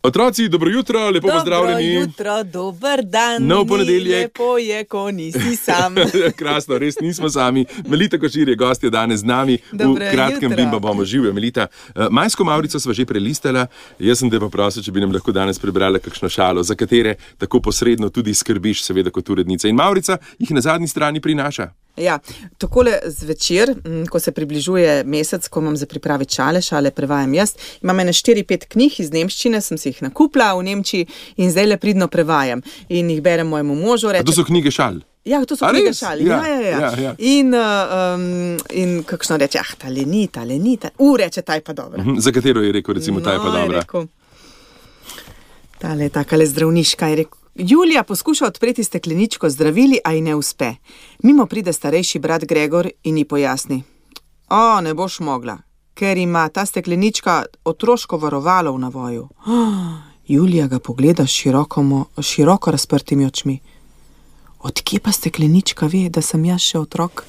Otroci, dobro jutro, lepo pozdravljeni. Dobro jutro, dober dan. Nov ponedeljek. Lepo je, ko nisi sam. Krasno, res nismo sami. Melita Košir je gostja danes z nami. Dobro v kratkem jutro. bimba bomo živijo. Melita, majsko Mavrico sva že prelistala. Jaz sem te pa prosil, če bi nam lahko danes prebrala kakšno šalo, za katere tako posredno tudi skrbiš, seveda kot urednica. In Mavrica jih na zadnji strani prinaša. Ja, takole zvečer, ko se približuje mesec, ko imam za pripraviti šale prevajam jaz, imam 4-5 knjig iz nemščine, sem si jih nakupila v Nemčiji in zdaj le pridno prevajam. In jih berem mojemu možu. A to so knjige šal? Ja, to so knjige šal. Ja. In kakšno reče, ta lenita. Reče, ta je pa dobra. Za katero je rekel, recimo, ta je pa dobra? Rekel, tale takale zdravniška je rekel. Julija poskuša odpreti stekleničko zdravili, a ji ne uspe. Mimo pride starejši brat Gregor in ji pojasni. Ne boš mogla, ker ima ta steklenička otroško varovalo v navoju. Julija ga pogleda s široko razprtimi očmi. Odkje pa steklenička ve, da sem jaz še otrok?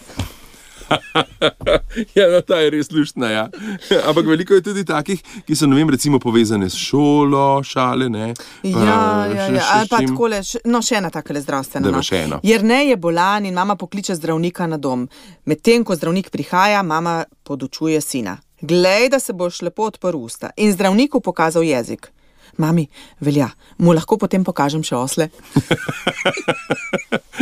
Ja, ta je res luštna, ja. Ampak veliko je tudi takih, ki so, recimo povezane s šolo, šale, ne? Ja. Pa takole, še ena takole zdravstvena. Jernej je bolan in mama pokliče zdravnika na dom. Medtem, ko zdravnik prihaja, mama podučuje sina. Glej, da se boš lepo odprl usta. In zdravniku pokazal jezik. Mami, velja, mu lahko potem pokažem še osle?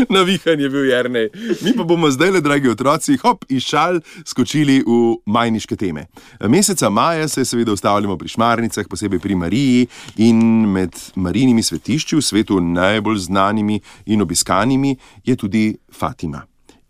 Navihan je bil Jernej. Mi pa bomo zdaj, dragi otroci, iz šal skočili v majniške teme. Meseca maja se seveda ustavljamo pri šmarnicah, posebej pri Mariji, in med Marijinimi svetišči v svetu najbolj znanimi in obiskanimi je tudi Fatima.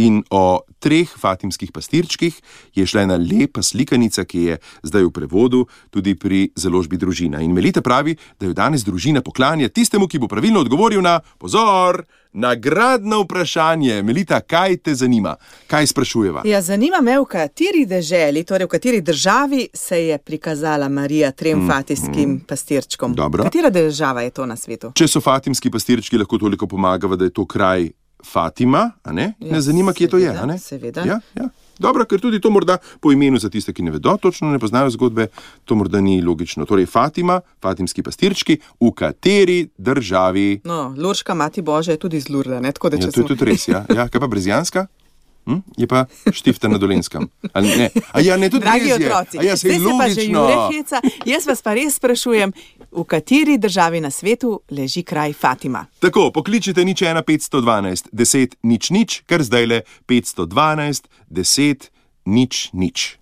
In o 3 fatimskih pastirčkih je šla ena lepa slikanica, ki je zdaj v prevodu tudi pri založbi Družina. In Melita pravi, da jo danes družina poklanja tistemu, ki bo pravilno odgovoril na, pozor, nagradno vprašanje. Melita, kaj te zanima? Kaj sprašujeva? Ja, zanima me, v kateri deželi, torej v kateri državi se je prikazala Marija 3 fatimskim pastirčkom. Dobro. Katera država je to na svetu? Če so fatimski pastirčki, lahko toliko pomagava, da je to kraj Fatima, a ne? Ne zanima, kje to je, a ne? Seveda. Ja. Dobro, ker tudi to morda po imenu za tiste, ki ne vedo, točno ne poznajo zgodbe, to morda ni logično. Torej Fatima, fatimski pastirčki, v kateri državi? Lurška mati Božja je tudi iz Lurda, ne? Tako da, to je tudi res, ja. Kaj pa Brezjanska? Je pa Štifta na Dolenskem. Ne, tudi dragi res je. Otroci, zdaj se pa že Jure heca. Jaz vas pa res sprašujem, v kateri državi na svetu leži kraj Fatima? Tako, pokličite 01 512 10 00, kar zdajle 512 10 00.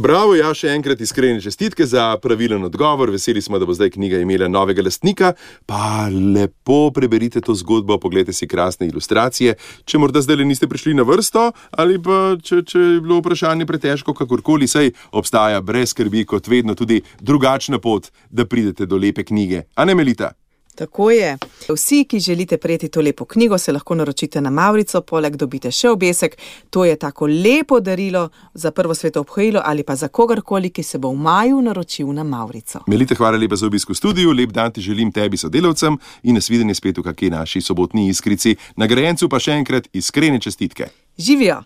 Bravo, ja, še enkrat iskrene čestitke za pravilen odgovor. Veseli smo, da bo zdaj knjiga imela novega lastnika. Pa lepo preberite to zgodbo, poglejte si krasne ilustracije. Če morda zdaj niste prišli na vrsto, ali pa če je bilo vprašanje pretežko, kakorkoli, saj obstaja brez skrbi kot vedno tudi drugačna pot, da pridete do lepe knjige. A ne, Melita? Tako je. Vsi, ki želite prejeti to lepo knjigo, se lahko naročite na Mavrico, poleg dobite še obesek. To je tako lepo darilo za prvo sveto obhajilo ali pa za kogarkoli, ki se bo v maju naročil na Mavrico. Melita, hvala lepa za obisk v studiu, lep dan ti želim tebi sodelavcem in nasvidenje spet v kakšni naši sobotni iskrici. Nagrajencu pa še enkrat iskrene čestitke. Živijo!